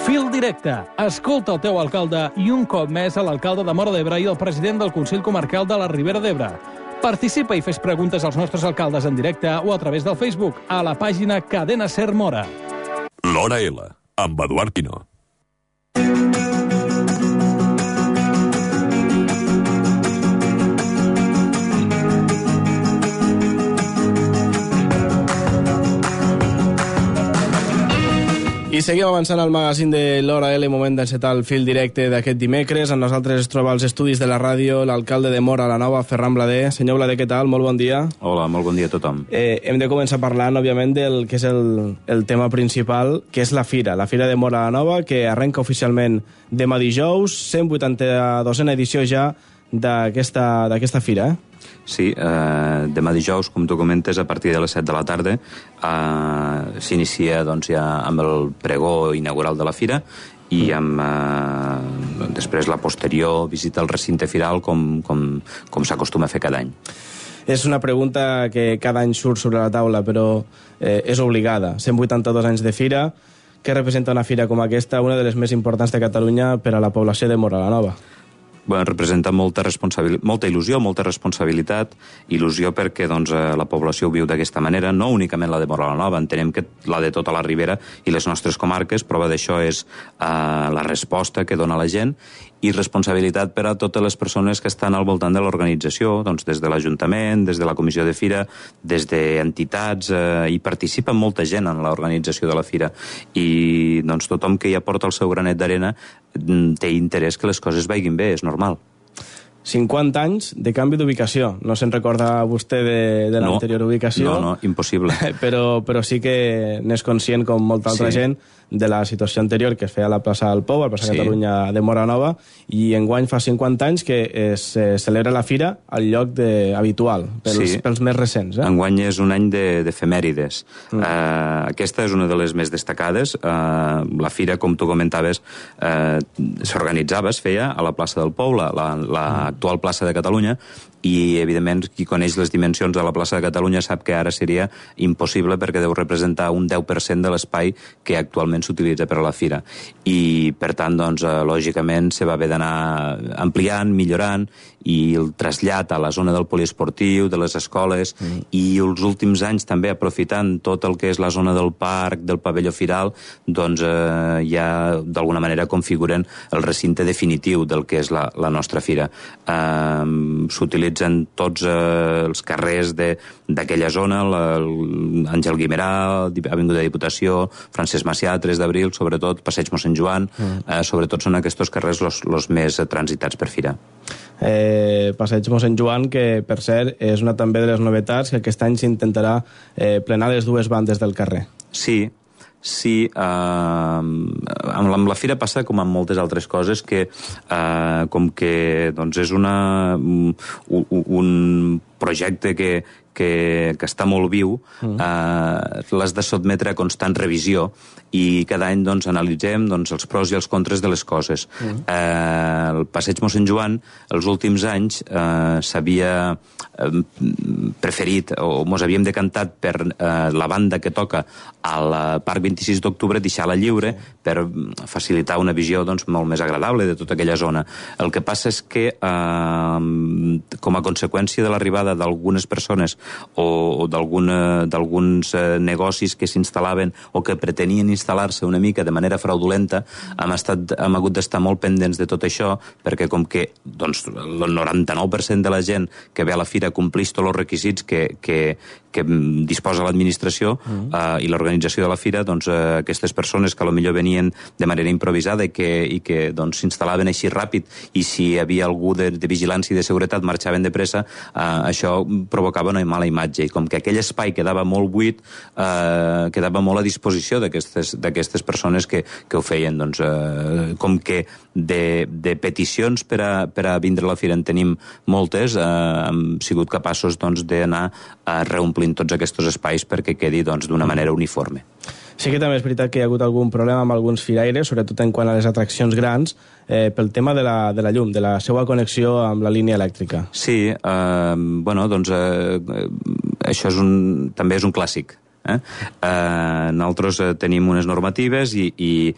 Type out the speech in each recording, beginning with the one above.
Fil directe. Escolta el teu alcalde i un cop més a l'alcalde de Móra d'Ebre i el president del Consell Comarcal de la Ribera d'Ebre. Participa i fes preguntes als nostres alcaldes en directe o a través del Facebook a la pàgina Cadena Ser Móra. L'Hora L, amb Eduard Pino. I seguim avançant al magazín de l'Hora L, moment d'encetar el fil directe d'aquest dimecres. Amb nosaltres es troba als estudis de la ràdio l'alcalde de Móra la Nova, Ferran Blader. Senyor Blader, què tal? Molt bon dia. Hola, molt bon dia a tothom. Hem de començar parlant, òbviament, del que és el tema principal, que és la Fira de Móra la Nova, que arrenca oficialment demà dijous, 182a edició ja d'aquesta fira, Sí, demà dijous, com tu comentes, a partir de les 7 de la tarda s'inicia doncs, ja amb el pregó inaugural de la fira i amb després la posterior visita al recinte firal com s'acostuma a fer cada any. És una pregunta que cada any surt sobre la taula, però és obligada. 182 anys de fira. Què representa una fira com aquesta, una de les més importants de Catalunya per a la població de Móra la Nova? Bueno, representa molta il·lusió, molta responsabilitat, il·lusió perquè doncs, la població ho viu d'aquesta manera, no únicament la de Móra la Nova, entenem que la de tota la Ribera i les nostres comarques. Prova d'això és la resposta que dona la gent i responsabilitat per a totes les persones que estan al voltant de l'organització, doncs, des de l'Ajuntament, des de la Comissió de Fira, des d'entitats, hi participa molta gent en l'organització de la Fira i doncs, tothom que hi aporta el seu granet d'arena té interès que les coses vagin bé, és normal. 50 anys de canvi d'ubicació. No se'n recorda vostè de l'anterior ubicació? No, impossible. Però sí que n'és conscient, com molta altra gent, de la situació anterior que es feia a la plaça del Pou, a la plaça Catalunya de Móra Nova, i enguany fa 50 anys que es celebra la fira al lloc habitual, pels més recents. Enguany és un any d'efemèrides. Aquesta és una de les més destacades. La fira, com tu comentaves, s'organitzava, es feia a la plaça del Pou, l'actual plaça de Catalunya, i, evidentment, qui coneix les dimensions de la plaça de Catalunya sap que ara seria impossible perquè deu representar un 10% de l'espai que actualment s'utilitza per a la fira. I, per tant, doncs, lògicament, se va haver d'anar ampliant, millorant, i el trasllat a la zona del poliesportiu, de les escoles, i els últims anys també aprofitant tot el que és la zona del parc, del pavelló firal, doncs ja d'alguna manera configuren el recinte definitiu del que és la nostra fira. S'utilitzen tots els carrers d'aquella zona, l'Àngel Guimerà, Avinguda de Diputació, Francesc Macià, 3 d'abril, sobretot, Passeig Mossèn Joan, sobretot són aquests carrers els més transitats per fira. Passeig Mossèn Joan, que per cert és una també de les novetats, que aquest any s'intentarà plenar les dues bandes del carrer. Sí, amb la fira passa com amb moltes altres coses que com que doncs és un projecte que està molt viu, l'has de sotmetre a constant revisió i cada any doncs, analitzem els pros i els contres de les coses. El Passeig Mossèn Joan, els últims anys, s'havia preferit o mos havíem decantat per la banda que toca al Parc 26 d'Octubre, deixar-la lliure per facilitar una visió doncs, molt més agradable de tota aquella zona. El que passa és que com a conseqüència de l'arribada d'algunes persones o d'alguns negocis que s'instal·laven o que pretenien instal·lar-se una mica de manera fraudulenta, hem hagut d'estar molt pendents de tot això, perquè com que doncs, el 99% de la gent que ve a la fira compleix tots els requisits que disposa l'administració i l'organització de la fira, doncs aquestes persones que potser venien de manera improvisada i que doncs, s'instal·laven així ràpid, i si hi havia algú de vigilància i de seguretat marxaven de pressa, això provocava una mala imatge, i com que aquell espai quedava molt buit, quedava molt a disposició d'aquestes persones que ho feien. Doncs, com que de peticions per a vindre a la fira en tenim moltes, hem sigut capaços doncs, d'anar reomplint tots aquests espais perquè quedi d'una manera uniforme. Sí que també és veritat que hi ha hagut algun problema amb alguns firaires, sobretot en quant a les atraccions grans, pel tema de la llum, de la seva connexió amb la línia elèctrica. Sí, bueno, doncs això també és un clàssic. Nosaltres tenim unes normatives i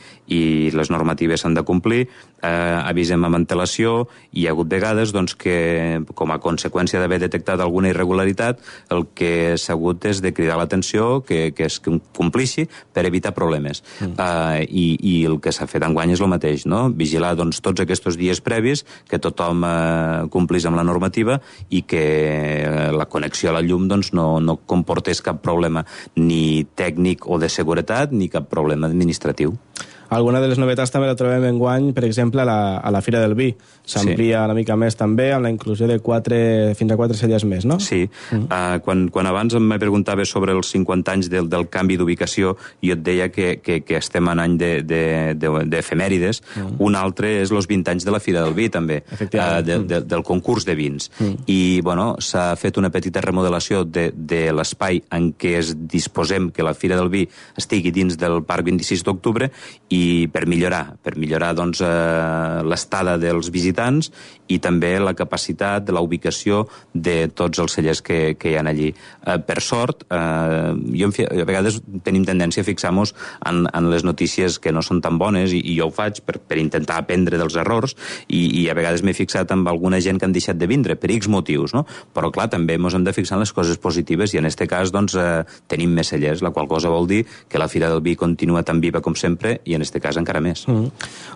les normatives s'han de complir, avisem amb antelació, i hi ha hagut vegades doncs, que, com a conseqüència d'haver detectat alguna irregularitat, el que s'ha hagut és de cridar l'atenció que es complixi per evitar problemes. I el que s'ha fet enguany és el mateix, no? Vigilar doncs, tots aquests dies previs, que tothom complís amb la normativa i que la connexió a la llum doncs, no comportés cap problema ni tècnic o de seguretat ni cap problema administratiu. Alguna de les novetats també la trobem enguany, per exemple, a la Fira del Vi. S'amplia una mica més també amb la inclusió de fins a 4 celles més, no? Sí. Quan abans em preguntava sobre els 50 anys del canvi d'ubicació, jo et deia que estem en any d'efemèrides. Un altre és els 20 anys de la Fira del Vi, també, del concurs de vins. I, bueno, s'ha fet una petita remodelació de l'espai en què disposem que la Fira del Vi estigui dins del Parc 26 d'Octubre, i per millorar doncs, l'estada dels visitants i també la capacitat de la ubicació de tots els cellers que hi ha allí. Per sort, a vegades tenim tendència a fixar-nos en les notícies que no són tan bones, i jo ho faig per intentar aprendre dels errors, i a vegades m'he fixat amb alguna gent que han deixat de vindre per X motius, no? Però clar, també ens hem de fixar en les coses positives, i en aquest cas doncs, tenim més cellers, la qual cosa vol dir que la Fira del Vi continua tan viva com sempre, i en aquest cas encara més.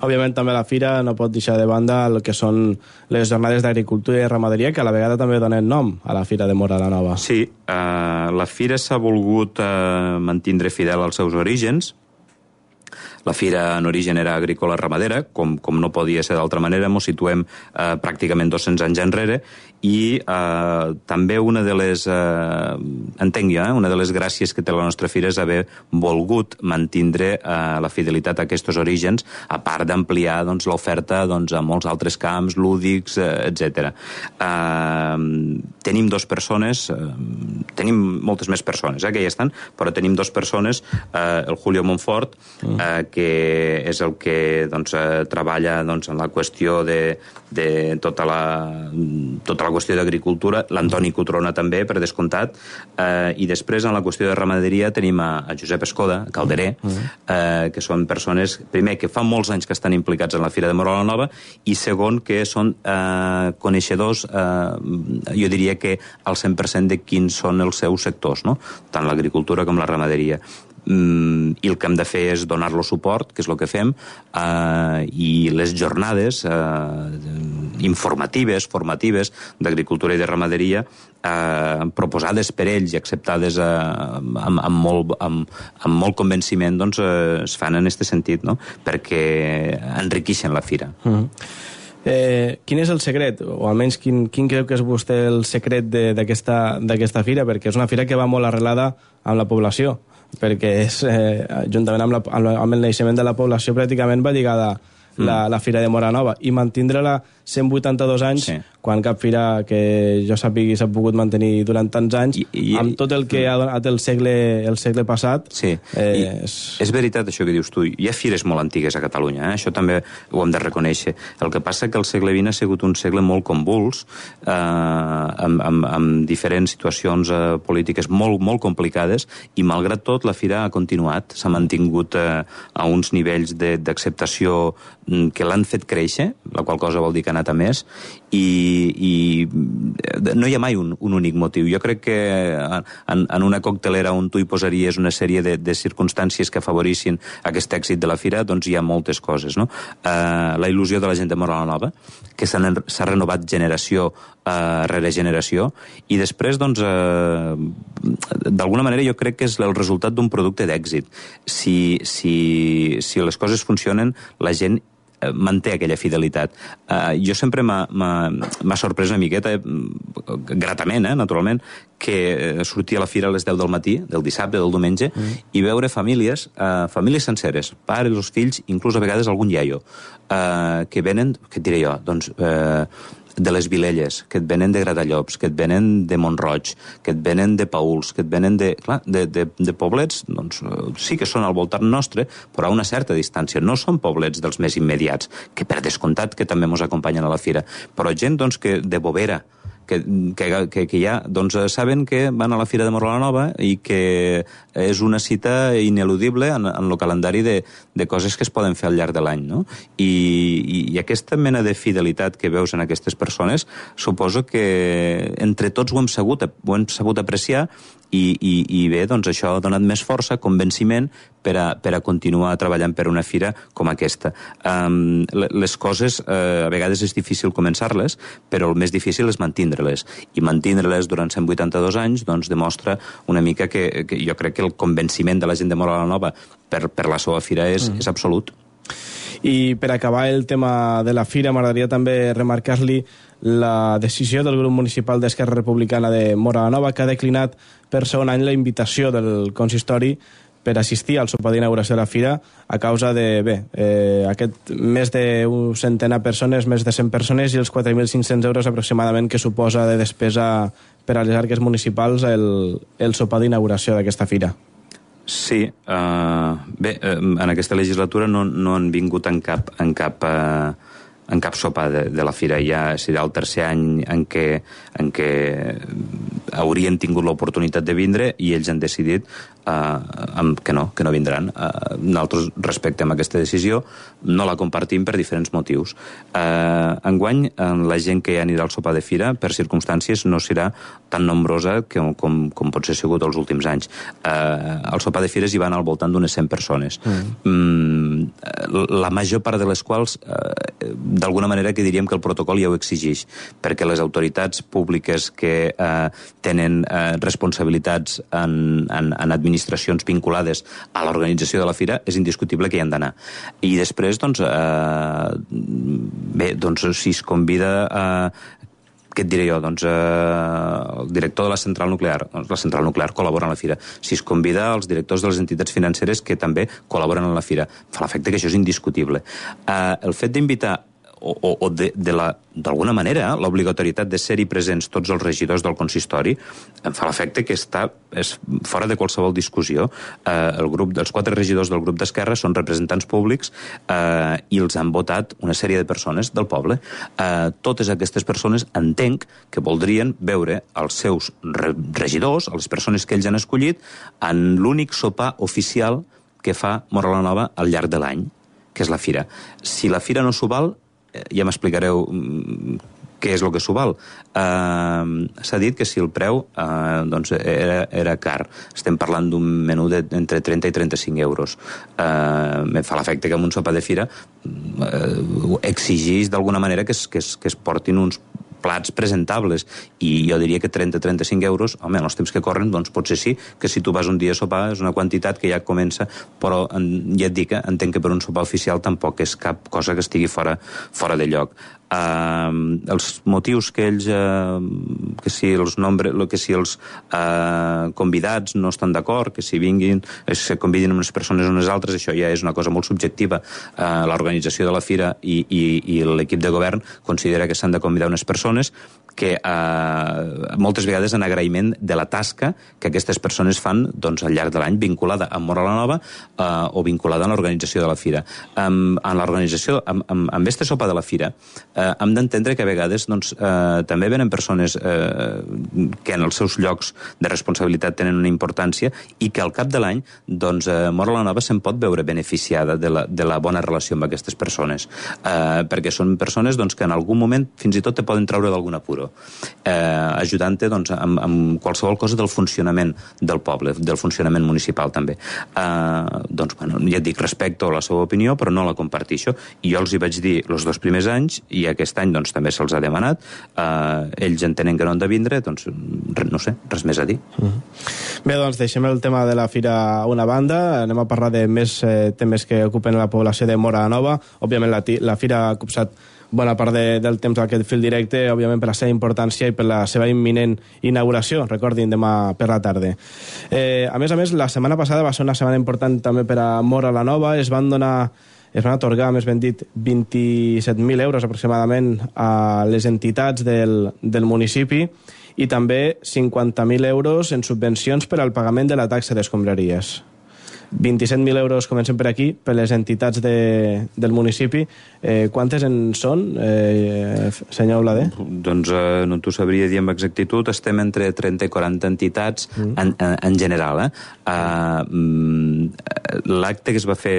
Òbviament també la Fira no pot deixar de banda el que són les jornades d'agricultura i ramaderia, que a la vegada també donen nom a la Fira de Móra la Nova. Sí, la Fira s'ha volgut mantindre fidel als seus orígens. La Fira en origen era agrícola ramadera, com no podia ser d'altra manera, ens situem pràcticament 200 anys enrere, i també una de les, una de les gràcies que té la nostra Fira és haver volgut mantindre la fidelitat a aquests orígens, a part d'ampliar doncs, l'oferta doncs, a molts altres camps, lúdics, etc. Tenim 2 persones, tenim moltes més persones que hi estan, però tenim 2 persones, el Julio Montfort, que és el que doncs, treballa doncs, en la qüestió de tota la qüestió d'agricultura, l'Antoni Cotrona també, per descomptat, i després en la qüestió de ramaderia tenim a Josep Escoda, Calderer, que són persones, primer, que fa molts anys que estan implicats en la Fira de Móra la Nova, i segon, que són coneixedors, jo diria que al 100% de quins són els seus sectors, no? Tant l'agricultura com la ramaderia. I el que hem de fer és donar-lo suport, que és el que fem, i les jornades informatives, formatives d'agricultura i de ramaderia proposades per ells i acceptades amb molt convenciment, doncs es fan en aquest sentit, no? Perquè enriqueixen la fira. Quin és el secret, o almenys quin creu que és vostè el secret d'aquesta fira? Perquè és una fira que va molt arrelada amb la població, perquè és, juntament amb el naixement de la població, pràcticament va lligada la Fira de Móra Nova, i mantindre-la 182 anys, quan cap fira que jo sàpigui s'ha pogut mantenir durant tants anys, amb tot el que ha donat el segle passat. Sí, és veritat això que dius tu. Hi ha fires molt antigues a Catalunya, això també ho hem de reconèixer. El que passa que el segle XX ha sigut un segle molt convuls, amb diferents situacions polítiques molt complicades, i malgrat tot la fira ha continuat, s'ha mantingut a uns nivells d'acceptació que l'han fet créixer, la qual cosa vol dir que ha anat a més, i no hi ha mai un únic motiu. Jo crec que en una coctelera on tu hi posaries una sèrie de circumstàncies que afavorissin aquest èxit de la fira, doncs hi ha moltes coses, no? La il·lusió de la gent de Móra la Nova, que s'ha renovat generació rere generació, i després, doncs, d'alguna manera jo crec que és el resultat d'un producte d'èxit. Si les coses funcionen, la gent manté aquella fidelitat. Jo sempre m'ha sorprès una miqueta, gratament, naturalment, que sortia a la fira a les 10 del matí, del dissabte, del diumenge, i veure famílies senceres, pares, els fills, inclús a vegades algun iaio, que venen, què et diré jo, doncs, de les Vilelles, que et venen de Gratallops, que et venen de Mont-roig, que et venen de Paüls, que et venen de poblets, doncs sí que són al voltant nostre, però a una certa distància. No són poblets dels més immediats, que per descomptat que també ens acompanyen a la fira, però gent doncs, de Bovera, que ja doncs, saben que van a la Fira de Móra la Nova i que és una cita ineludible en el calendari de coses que es poden fer al llarg de l'any, no? I aquesta mena de fidelitat que veus en aquestes persones suposo que entre tots ho hem sabut apreciar i bé, doncs això ha donat més força, convenciment per a continuar treballant per una fira com aquesta. Les coses a vegades és difícil començar-les, però el més difícil és mantindre-les. I mantindre-les durant 182 anys doncs demostra una mica que jo crec que el convenciment de la gent de Móra la Nova per la seva fira és absolut. I per acabar el tema de la fira, m'agradaria també remarcar-li la decisió del grup municipal d'Esquerra Republicana de Móra la Nova, que ha declinat per segon any la invitació del consistori per assistir al sopar d'inauguració de la fira a causa de, aquest més d'un centenar de persones, més de 100 persones i els 4.500 euros aproximadament que suposa de despesa per a les arques municipals el sopar d'inauguració d'aquesta fira. Sí, bé, en aquesta legislatura no han vingut en cap sopar de la fira. Ja serà el tercer any en què haurien tingut l'oportunitat de vindre i ells han decidit que no vindran. Nosaltres respectem aquesta decisió, no la compartim per diferents motius. Enguany, la gent que anirà al sopar de fira, per circumstàncies, no serà tan nombrosa com pot ser sigut els últims anys. Al sopar de fires hi van al voltant d'unes 100 persones. La major part de les quals, d'alguna manera que diríem que el protocol ja ho exigeix, perquè les autoritats públiques que tenen responsabilitats en administracions vinculades a l'organització de la fira, és indiscutible que hi han d'anar. I després, doncs, si es convida què et diré jo? Doncs el director de la central nuclear. Doncs la central nuclear col·labora en la fira. Si es convida els directors de les entitats financeres que també col·laboren en la fira. Fa l'efecte que això és indiscutible. El fet d'invitar o d'alguna manera l'obligatorietat de ser-hi presents tots els regidors del consistori em fa l'efecte que és fora de qualsevol discussió. Els 4 regidors del grup d'Esquerra són representants públics i els han votat una sèrie de persones del poble. Totes aquestes persones entenc que voldrien veure els seus regidors, les persones que ells han escollit, en l'únic sopar oficial que fa Móra la Nova al llarg de l'any, que és la fira. Si la fira no s'ho val, ja m'explicareu què és el que s'ho val. S'ha dit que si el preu era car. Estem parlant d'un menú d'entre 30 i 35 euros. Me fa l'efecte que en un sopar de fira exigeix d'alguna manera que es portin uns plats presentables, i jo diria que 30-35 euros, home, en els temps que corren, doncs potser sí, que si tu vas un dia a sopar és una quantitat que ja comença, però ja et dic, entenc que per un sopar oficial tampoc és cap cosa que estigui fora de lloc. Els motius que ells que si els convidats no estan d'acord, que si se convidin unes persones o unes altres, això ja és una cosa molt subjectiva. L'organització de la fira i l'equip de govern considera que s'han de convidar unes persones que moltes vegades en agraïment de la tasca que aquestes persones fan doncs, al llarg de l'any, vinculada a Móra la Nova o vinculada a l'organització de la fira. En l'organització, amb este sopar de la fira, hem d'entendre que a vegades doncs, també venen persones que en els seus llocs de responsabilitat tenen una importància i que al cap de l'any doncs, Móra la Nova se'n pot veure beneficiada de la bona relació amb aquestes persones, perquè són persones doncs, que en algun moment fins i tot te poden treure d'algun apuro, ajudant-te doncs, amb qualsevol cosa del funcionament del poble, del funcionament municipal també. Doncs, bueno, ja et dic, respecto a la seva opinió, però no la comparteixo. I jo els hi vaig dir els 2 primers anys, i aquest any doncs, també se'ls ha demanat. Ells entenen que no han de vindre, doncs no sé, res més a dir. Bé, doncs deixem el tema de la fira a una banda, anem a parlar de més temes que ocupen la població de Móra la Nova. Òbviament la fira ha copsat bona part del temps d'aquest fil directe, òbviament per la seva importància i per la seva imminent inauguració, recordin, demà per la tarda. A més, la setmana passada va ser una setmana important també per a Móra la Nova. Es van atorgar, més ben dit, 27.000 euros aproximadament a les entitats del municipi i també 50.000 euros en subvencions per al pagament de la taxa d'escombraries. 27.000 euros, comencem per aquí, per les entitats del municipi. Quantes en són, senyor Oladé? Doncs no t'ho sabria dir amb exactitud. Estem entre 30 i 40 entitats en general. L'acte que es va fer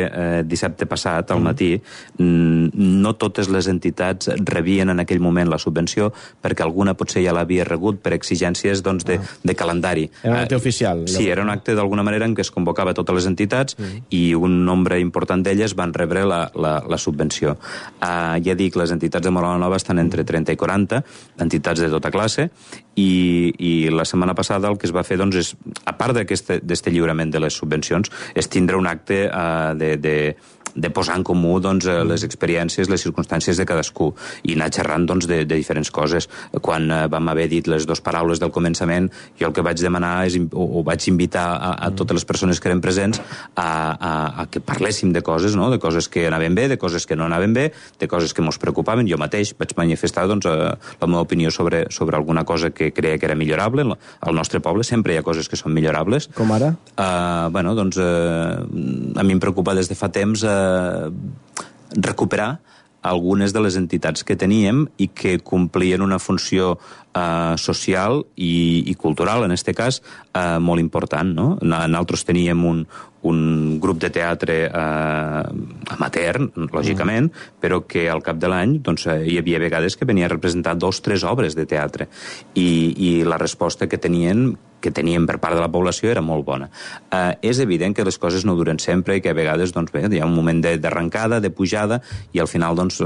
dissabte passat, al matí, no totes les entitats rebien en aquell moment la subvenció, perquè alguna potser ja l'havia rebut per exigències de calendari. Era un acte oficial. Sí, era un acte d'alguna manera en què es convocava totes les entitats i un nombre important d'elles van rebre la subvenció. Ja dic, les entitats de Móra la Nova estan entre 30 i 40, entitats de tota classe, i la setmana passada el que es va fer, doncs, és, a part d'aquest lliurament de les subvencions, és tindre un acte de posar en comú, doncs, les experiències, les circumstàncies de cadascú, i anar xerrant, doncs, de diferents coses. Quan vam haver dit les dues paraules del començament, jo el que vaig demanar o vaig invitar a totes les persones que eren presents a que parléssim de coses, no? De coses que anaven bé, de coses que no anaven bé, de coses que mos preocupaven. Jo mateix vaig manifestar, doncs, la meva opinió sobre alguna cosa que creia que era millorable. Al nostre poble sempre hi ha coses que són millorables. Com ara? Bueno, doncs, a mi em preocupa des de fa temps recuperar algunes de les entitats que teníem i que complien una funció social i cultural, en aquest cas, molt important, no? Nosaltres teníem un grup de teatre amateur, lògicament, però que al cap de l'any, doncs, hi havia vegades que venia a representar 2 o 3 obres de teatre, i la resposta que teníem per part de la població era molt bona. És evident que les coses no duren sempre i que a vegades, doncs, bé, hi ha un moment d'arrencada, de pujada, i al final, doncs,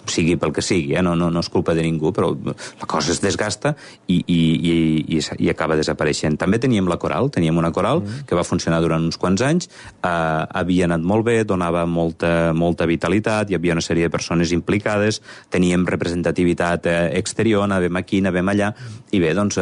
sigui pel que sigui, no és culpa de ningú, però la cosa es desgasta i acaba desapareixent. També teníem teníem una coral que va funcionar durant uns quants anys, havia anat molt bé, donava molta vitalitat, hi havia una sèrie de persones implicades, teníem representativitat exterior, anàvem aquí, anàvem allà, i bé, doncs,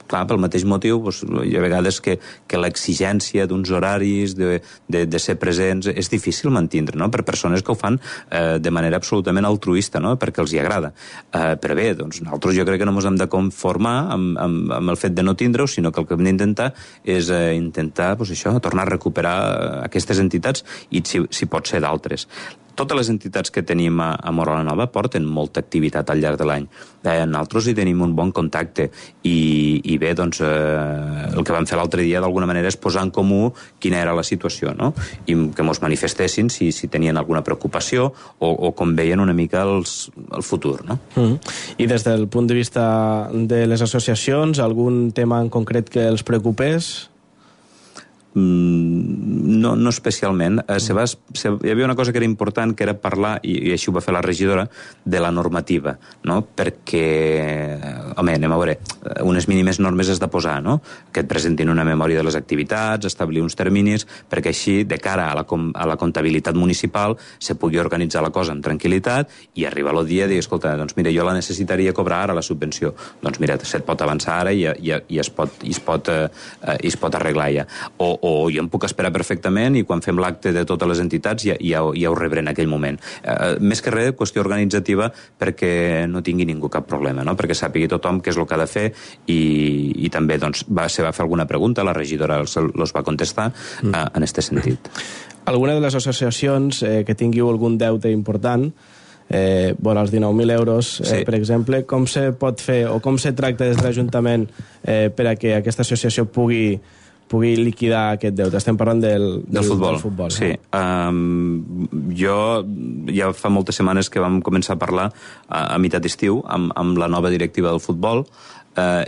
clar, pel mateix motiu, doncs, hi ha vegades que l'exigència d'uns horaris, de ser presents, és difícil mantindre, no?, per persones que ho fan de manera absolutament altruista, no?, perquè els hi agrada. Però bé, doncs, nosaltres jo crec que no ens hem de conformar amb el fet de no tindre-ho, sinó que el que hem d'intentar és intentar, doncs, això, tornar a recuperar aquestes entitats i, si pot ser, d'altres. Totes les entitats que tenim a Móra la Nova porten molta activitat al llarg de l'any. Nosaltres hi tenim un bon contacte i bé, doncs, el que vam fer l'altre dia d'alguna manera és posar en comú quina era la situació, no? I que mos manifestessin si tenien alguna preocupació o com veien una mica el futur, no? I des del punt de vista de les associacions, algun tema en concret que els preocupés? No especialment. Hi havia una cosa que era important, que era parlar, i així ho va fer la regidora, de la normativa, no? Perquè, home, anem a veure, unes mínimes normes has de posar, no? Que et presentin una memòria de les activitats, establir uns terminis, perquè així, de cara a la comptabilitat municipal, se pugui organitzar la cosa amb tranquil·litat i arribar el dia i dir, escolta, doncs mira, jo la necessitaria cobrar ara, la subvenció. Doncs mira, se't pot avançar ara i es pot arreglar ja. O jo em puc esperar perfectament i quan fem l'acte de totes les entitats ja ho rebré en aquell moment. Més que res, qüestió organitzativa perquè no tingui ningú cap problema, no? Perquè sàpigui tothom què és el que ha de fer i també, doncs, se va fer alguna pregunta, la regidora els va contestar en aquest sentit. Alguna de les associacions que tingueu algun deute important, vora els 19.000 euros, sí, per exemple, com se pot fer o com se tracta des de l'Ajuntament per a que aquesta associació pugui liquidar aquest deute? Estem parlant del futbol. Sí. Jo ja fa moltes setmanes que vam començar a parlar a meitat d'estiu amb la nova directiva del futbol.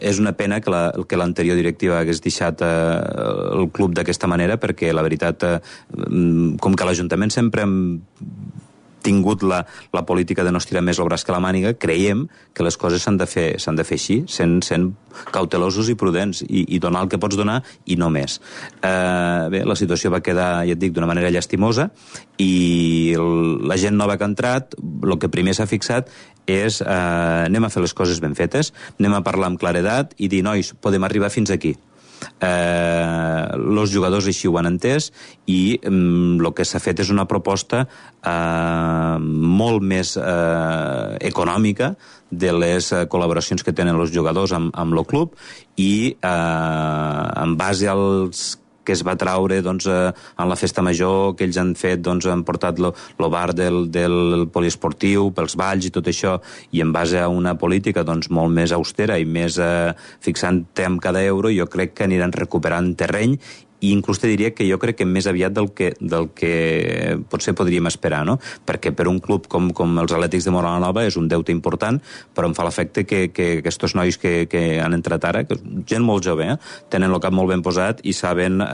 És una pena que l'anterior directiva hagués deixat el club d'aquesta manera, perquè la veritat, com que l'Ajuntament sempre hem tingut la política de no estirar més el braç que la màniga, creiem que les coses s'han de fer així, sent cautelosos i prudents, i donar el que pots donar i no més. Bé, la situació va quedar, ja et dic, d'una manera llastimosa, i la gent nova que ha entrat, el que primer s'ha fixat és anem a fer les coses ben fetes, anem a parlar amb claredat i dir, nois, podem arribar fins aquí. Els jugadors així ho han entès i el que s'ha fet és una proposta molt més econòmica de les col·laboracions que tenen els jugadors amb el club, i en base als que es va traure doncs, en la festa major que ells han fet, doncs, han portat el bar del poliesportiu pels balls i tot això, i en base a una política doncs, molt més austera i més fixant-te en cada euro, jo crec que aniran recuperant terreny, i inclús te diria que jo crec que més aviat del que potser podríem esperar, no? Perquè per un club com els Atlètics de Móra la Nova és un deute important, però em fa l'efecte que aquests nois que han entrat ara, que gent molt jove, tenen el cap molt ben posat i saben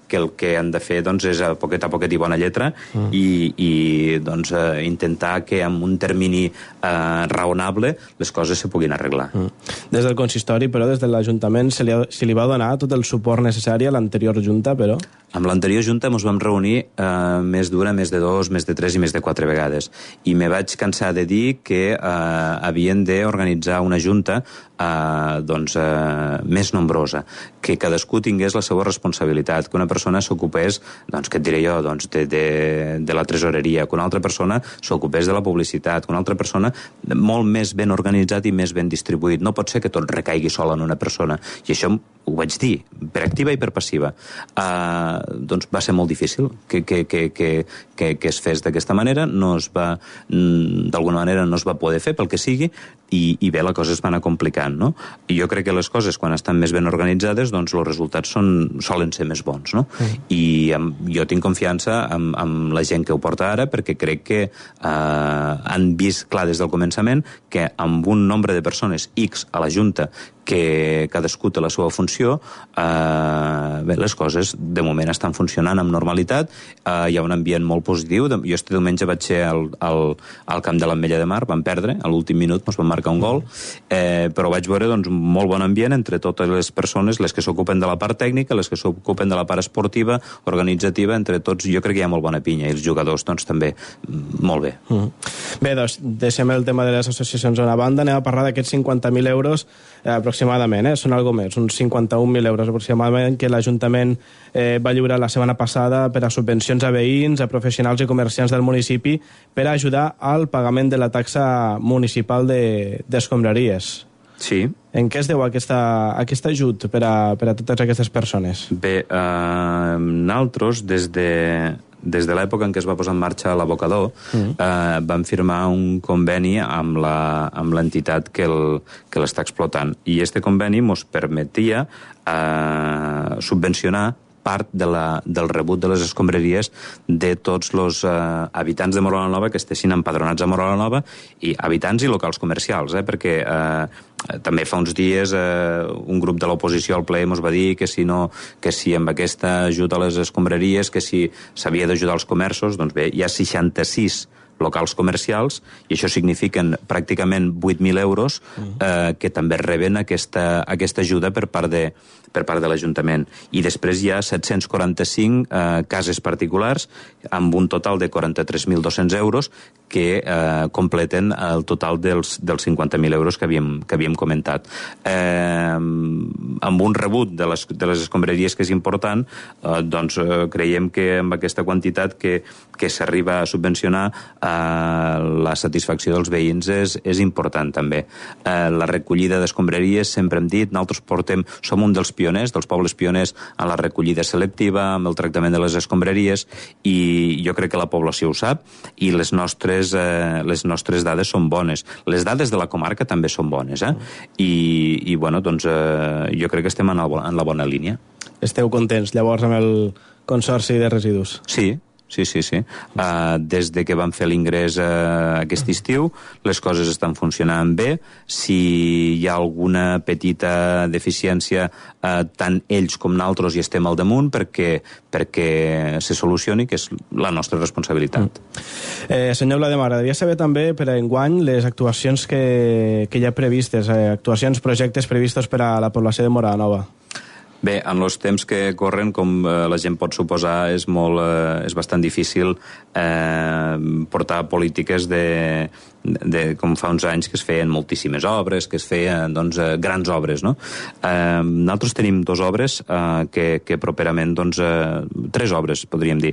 que el que han de fer doncs, és a poquet i bona lletra i doncs, intentar que en un termini raonable les coses se puguin arreglar. Des del consistori, però, des de l'Ajuntament se li va donar tot el suport necessari a l'anterior Junta, però? Amb l'anterior Junta ens vam reunir més d'una, més de 2, més de 3 i més de 4 vegades. I me vaig cansar de dir que havien d'organitzar una Junta més nombrosa, que cadascú tingués la seva responsabilitat, que una persona s'ocupés, doncs, què et diré jo, doncs, de la tresoreria, que una altra persona s'ocupés de la publicitat, que una altra persona molt més ben organitzat i més ben distribuït. No pot ser que tot recaigui sol en una persona. I això ho vaig dir, per activa i per passiva. Doncs va ser molt difícil que es fes d'aquesta manera, d'alguna manera no es va poder fer pel que sigui, i bé, la cosa es va anar complicant, no? I jo crec que les coses, quan estan més ben organitzades, doncs els resultats solen ser més bons, no? I jo tinc confiança en la gent que ho porta ara, perquè crec que han vist clar des del començament que amb un nombre de persones X a la Junta, que cadascú té la seva funció, bé, les coses de moment estan funcionant amb normalitat, hi ha un ambient molt positiu. Jo este diumenge vaig ser al camp de l'Ametlla de Mar, vam perdre, a l'últim minut ens van marcar un gol, però vaig veure doncs, un molt bon ambient entre totes les persones, les que s'ocupen de la part tècnica, les que s'ocupen de la part esportiva, organitzativa, entre tots jo crec que hi ha molt bona pinya, i els jugadors doncs també molt bé. Bé, doncs deixem el tema de les associacions a una banda, anem a parlar d'aquests 50.000 euros aproximadament, són algo més, uns 51.000 euros aproximadament que l'Ajuntament va lliurar la setmana passada per a subvencions a veïns, a professionals i comerciants del municipi per a ajudar al pagament de la taxa municipal d'escombraries. Sí. En què es deu aquest ajut per a totes aquestes persones? Bé, nosaltres, des de l'època en què es va posar en marxa l'abocador, vam firmar un conveni amb l'entitat que l'està explotant. I este conveni ens permetia subvencionar part del rebut de les escombraries de tots els habitants de Móra la Nova que estessin empadronats a Móra la Nova, i habitants i locals comercials, perquè també fa uns dies un grup de l'oposició al ple ens va dir que si amb aquesta ajuda a les escombraries, que si s'havia d'ajudar els comerços. Doncs bé, hi ha 66 locals comercials, i això signifiquen pràcticament 8.000 euros que també reben aquesta ajuda per part de l'Ajuntament. I després hi ha 745 cases particulars amb un total de 43.200 euros que completen el total dels 50.000 euros que havíem comentat. Amb un rebut de les escombraries que és important, doncs creiem que amb aquesta quantitat que s'arriba a subvencionar la satisfacció dels veïns és important també. La recollida d'escombraries, sempre hem dit, nosaltres som un dels pioners, dels pobles pioners en la recollida selectiva, amb el tractament de les escombraries, i jo crec que la població ho sap, i les nostres dades són bones. Les dades de la comarca també són bones, i bueno, doncs jo crec que estem en la bona línia. Esteu contents, llavors, amb el Consorci de Residus? Sí. Des de que vam fer l'ingrés aquest estiu, les coses estan funcionant bé. Si hi ha alguna petita deficiència, tant ells com nosaltres hi estem al damunt perquè se solucioni, que és la nostra responsabilitat. Senyor Vlademar, m'agradaria saber també per a enguany les actuacions que hi ha previstes, projectes previstos per a la població de Móra la Nova. Bé, en els temps que corren, com la gent pot suposar, és bastant difícil portar polítiques com fa uns anys que es feien moltíssimes obres, que es feien grans obres, no? Nosaltres tenim 2 obres que properament, 3 obres, podríem dir,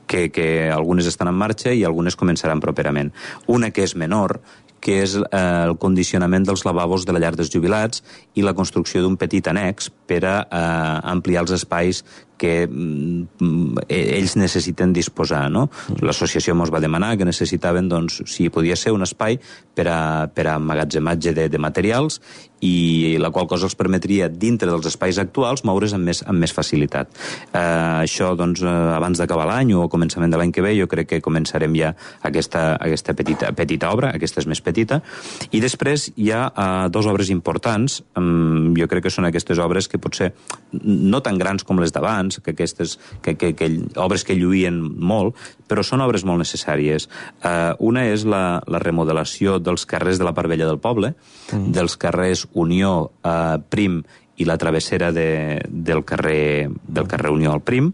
que algunes estan en marxa i algunes començaran properament. Una que és menor, que és el condicionament dels lavabos de la llar dels jubilats i la construcció d'un petit annex per a ampliar els espais ells necessiten disposar, no? L'associació ens va demanar que necessitaven, doncs, si podia ser un espai per a emmagatzematge de materials, i la qual cosa els permetria, dintre dels espais actuals, moure's amb més facilitat. Això, doncs, abans d'acabar l'any o començament de l'any que ve, jo crec que començarem ja aquesta petita obra, aquesta és més petita, i després hi ha dues obres importants, jo crec que són aquestes obres que potser no tan grans com les d'abans, obres que lluïen molt, però són obres molt necessàries. Una és la remodelació dels carrers de la part vella del poble, dels carrers Unió, Prim i la travessera del carrer Unió al Prim,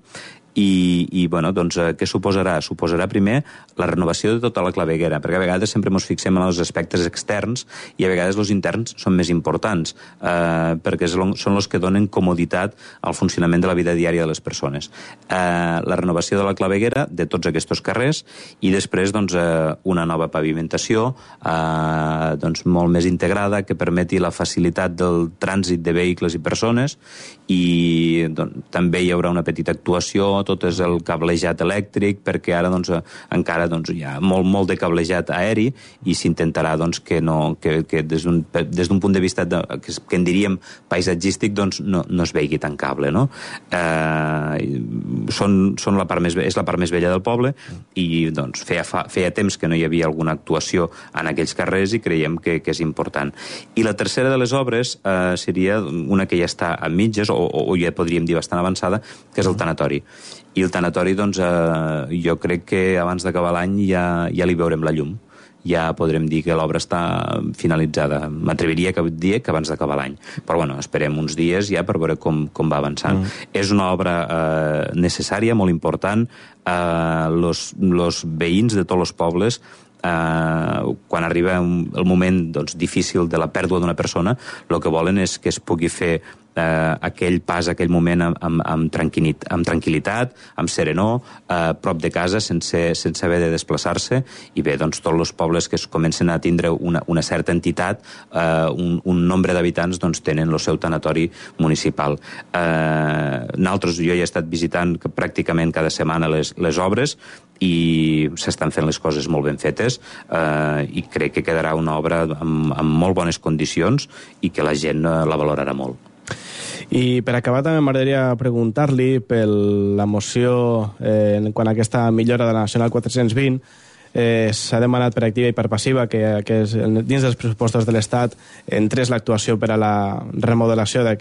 i bueno, doncs, què suposarà? Suposarà primer la renovació de tota la claveguera, perquè a vegades sempre ens fixem en els aspectes externs i a vegades els interns són més importants, perquè són els que donen comoditat al funcionament de la vida diària de les persones. La renovació de la claveguera de tots aquests carrers i després, doncs, una nova pavimentació doncs, molt més integrada que permeti la facilitat del trànsit de vehicles i persones, i doncs, també hi haurà una petita actuació, tot és el cablejat elèctric, perquè ara doncs, encara doncs, hi ha molt de cablejat aeri i s'intentarà doncs, que des d'un punt de vista que en diríem paisatgístic doncs, no es vegi tan cable, no? És la part més vella del poble i doncs, feia temps que no hi havia alguna actuació en aquells carrers i creiem que és important. I la tercera de les obres seria una que ja està a mitges o ja podríem dir bastant avançada, que és el tanatori. I el tanatori, doncs, jo crec que abans d'acabar l'any ja li veurem la llum. Ja podrem dir que l'obra està finalitzada. M'atreviria a dir que abans d'acabar l'any. Però, bueno, esperem uns dies ja per veure com va avançant. És una obra necessària, molt important. Los veïns de tots els pobles, quan arriba el moment doncs, difícil de la pèrdua d'una persona, el que volen és que es pugui fer aquell pas, aquell moment amb tranquil·litat, amb serenor, prop de casa, sense haver de desplaçar-se, i bé, doncs tots els pobles que es comencen a tindre una certa entitat, un nombre d'habitants, doncs tenen el seu tanatori municipal. Nosaltres, jo he estat visitant pràcticament cada setmana les obres i s'estan fent les coses molt ben fetes, i crec que quedarà una obra amb molt bones condicions i que la gent la valorarà molt. I per acabar també m'agradaria preguntar-li per la moció quan aquesta millora de la Nacional 420 s'ha demanat per activa i per passiva que dins dels pressupostos de l'Estat entrés l'actuació per a la remodelació de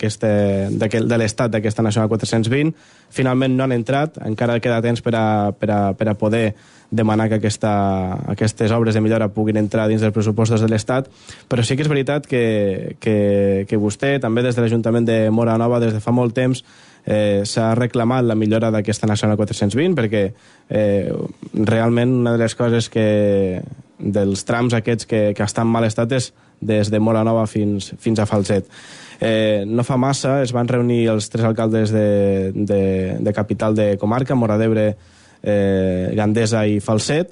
l'Estat d'aquesta Nacional 420. Finalment no han entrat, encara queda temps per a poder demanar que aquestes obres de millora puguin entrar dins dels pressupostos de l'Estat, però sí que és veritat que vostè, també des de l'Ajuntament de Móra Nova, des de fa molt temps, s'ha reclamat la millora d'aquesta Nacional 420, perquè realment una de les coses dels trams aquests que estan en mal estat és des de Móra Nova fins a Falset. No fa massa es van reunir els tres alcaldes de capital de comarca, Móra d'Ebre, Gandesa i Falset.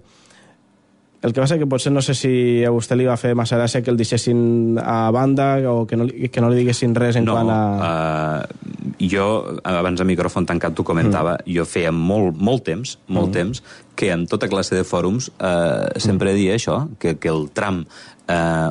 El que passa que potser no sé si a vostè li va fer massa gràcia que el deixessin a banda o que no li diguessin res en quant a... Jo, abans de micròfon tancat, t'ho comentava, jo feia molt temps que en tota classe de fòrums sempre dia això, que el tram,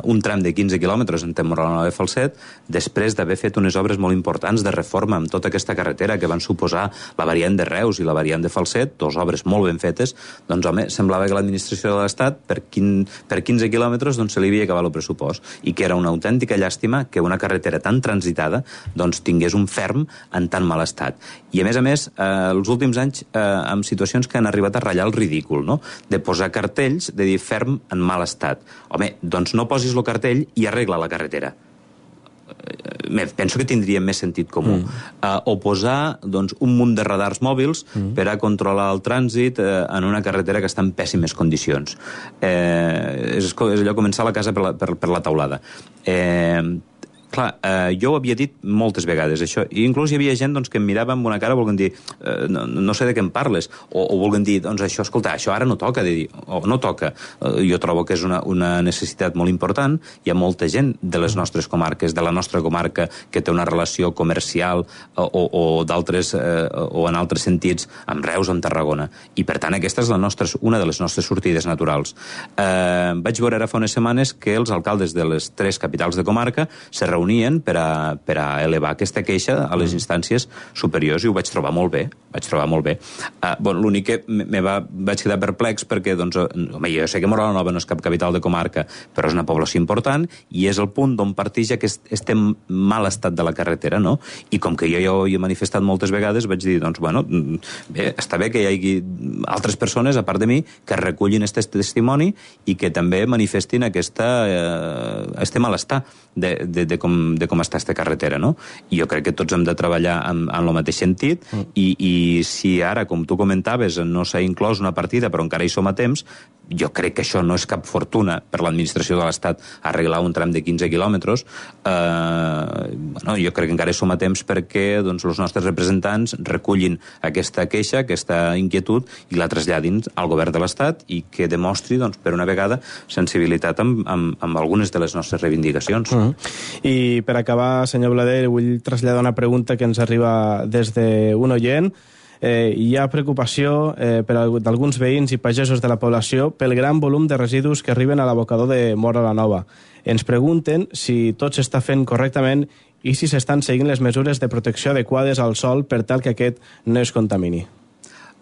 un tram de 15 quilòmetres entre Móra Nova i Falset, després d'haver fet unes obres molt importants de reforma amb tota aquesta carretera que van suposar la variant de Reus i la variant de Falset, dues obres molt ben fetes, doncs home, semblava que l'administració de l'Estat per 15 quilòmetres doncs, se li havia acabat el pressupost i que era una autèntica llàstima que una carretera tan transitada doncs, tingués un ferm en tan mal estat. I a més, els últims anys amb situacions que han arribat a ratllar el ridícul, no? De posar cartells, de dir ferm en mal estat. Home, doncs no posis el cartell i arregla la carretera. Penso que tindria més sentit comú. O posar doncs, un munt de radars mòbils per a controlar el trànsit en una carretera que està en pèssimes condicions. És allò començar la casa per la taulada. Clar, jo ho havia dit moltes vegades, això. I inclús hi havia gent que em mirava amb una cara volent dir no sé de què em parles, o volent dir, doncs això, escolta, això ara no toca, de dir, o no toca. Jo trobo que és una necessitat molt important. Hi ha molta gent de les nostres comarques, de la nostra comarca, que té una relació comercial o d'altres, o en altres sentits, amb Reus, amb Tarragona. I, per tant, aquesta és una de les nostres sortides naturals. Vaig veure ara fa unes setmanes que els alcaldes de les 3 capitals de comarca se reunien per a elevar aquesta queixa a les instàncies superiors, i ho vaig trobar molt bé. L'únic que vaig quedar perplex perquè, jo sé que Móra la Nova no és cap capital de comarca, però és una població important i és el punt d'on parteix aquest mal estat de la carretera, no? I com que jo ja ho he manifestat moltes vegades, vaig dir, bé, està bé que hi hagi altres persones, a part de mi, que recullin aquest testimoni i que també manifestin aquest malestar de com està aquesta carretera, no? I jo crec que tots hem de treballar en el mateix sentit i si ara, com tu comentaves, no s'ha inclòs una partida però encara hi som a temps, jo crec que això no és cap fortuna per l'administració de l'Estat arreglar un tram de 15 quilòmetres. Jo crec que encara hi som a temps perquè els nostres representants recullin aquesta queixa, aquesta inquietud i la traslladin al govern de l'Estat i que demostri, per una vegada, sensibilitat amb algunes de les nostres reivindicacions. I per acabar, senyor Blader, vull traslladar una pregunta que ens arriba des d'un oient. Hi ha preocupació d'alguns veïns i pagesos de la població pel gran volum de residus que arriben a l'abocador de Móra la Nova. Ens pregunten si tot s'està fent correctament i si s'estan seguint les mesures de protecció adequades al sòl per tal que aquest no es contamini.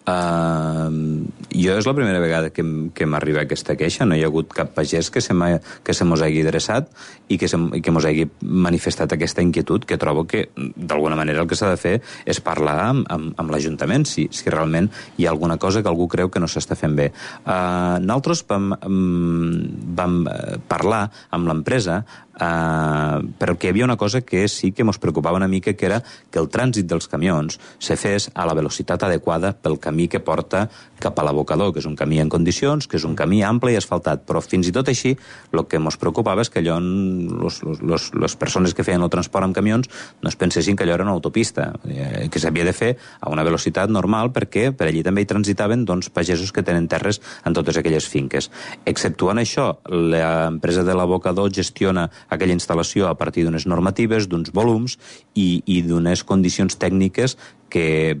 Jo és la primera vegada que m'arriba aquesta queixa. No hi ha hagut cap pagès que se mos hagi adreçat i que mos hagi manifestat aquesta inquietud, que trobo que d'alguna manera el que s'ha de fer és parlar amb l'Ajuntament si realment hi ha alguna cosa que algú creu que no s'està fent bé. Nosaltres vam parlar amb l'empresa perquè hi havia una cosa que sí que ens preocupava una mica, que era que el trànsit dels camions se fes a la velocitat adequada pel camí que porta cap a l'abocador, que és un camí en condicions, que és un camí ample i asfaltat, però fins i tot així el que ens preocupava és que allò les persones que feien el transport amb camions no es pensessin que allò era una autopista, que s'havia de fer a una velocitat normal perquè per allí també hi transitaven pagesos que tenen terres en totes aquelles finques. Exceptuant això, l'empresa de l'abocador gestiona aquella instal·lació a partir d'unes normatives, d'uns volums i d'unes condicions tècniques que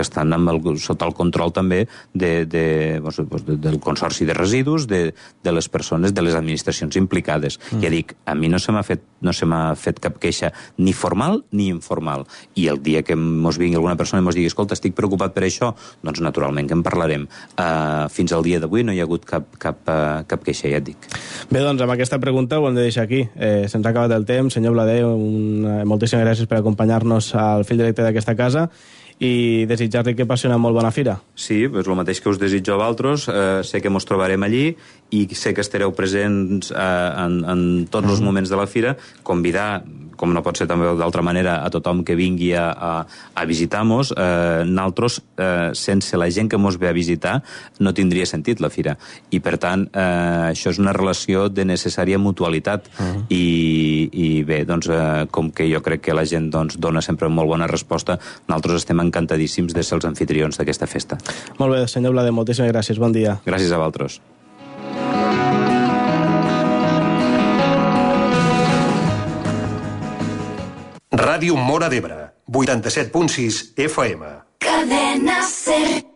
estan sota el control també del Consorci de Residus, de les persones, de les administracions implicades. Ja dic, a mi no se m'ha fet cap queixa ni formal ni informal. I el dia que mos vingui alguna persona i mos digui, escolta, estic preocupat per això, doncs naturalment que en parlarem. Fins al dia d'avui no hi ha hagut cap queixa, ja et dic. Bé, doncs amb aquesta pregunta ho hem de deixar aquí. Se'ns ha acabat el temps. Senyor Blader, moltíssimes gràcies per acompanyar-nos al fil directe d'aquesta casa i desitjar-li que passi una molt bona fira. Sí, és el mateix que us desitjo a vosaltres. Sé que ens trobarem allí i sé que estareu presents en tots els moments de la fira. Convidar, com no pot ser també d'altra manera, a tothom que vingui a visitar-nos. Nosaltres, sense la gent que ens ve a visitar, no tindria sentit la fira. I, per tant, això és una relació de necessària mutualitat. I bé, com que jo crec que la gent dona sempre molt bona resposta, nosaltres estem encantadíssims de ser els anfitrions d'aquesta festa. Molt bé, senyor Blader, moltíssimes gràcies. Bon dia. Gràcies a vosaltres. Ràdio Móra d'Ebre, 87.6 FM. Cadena Ser.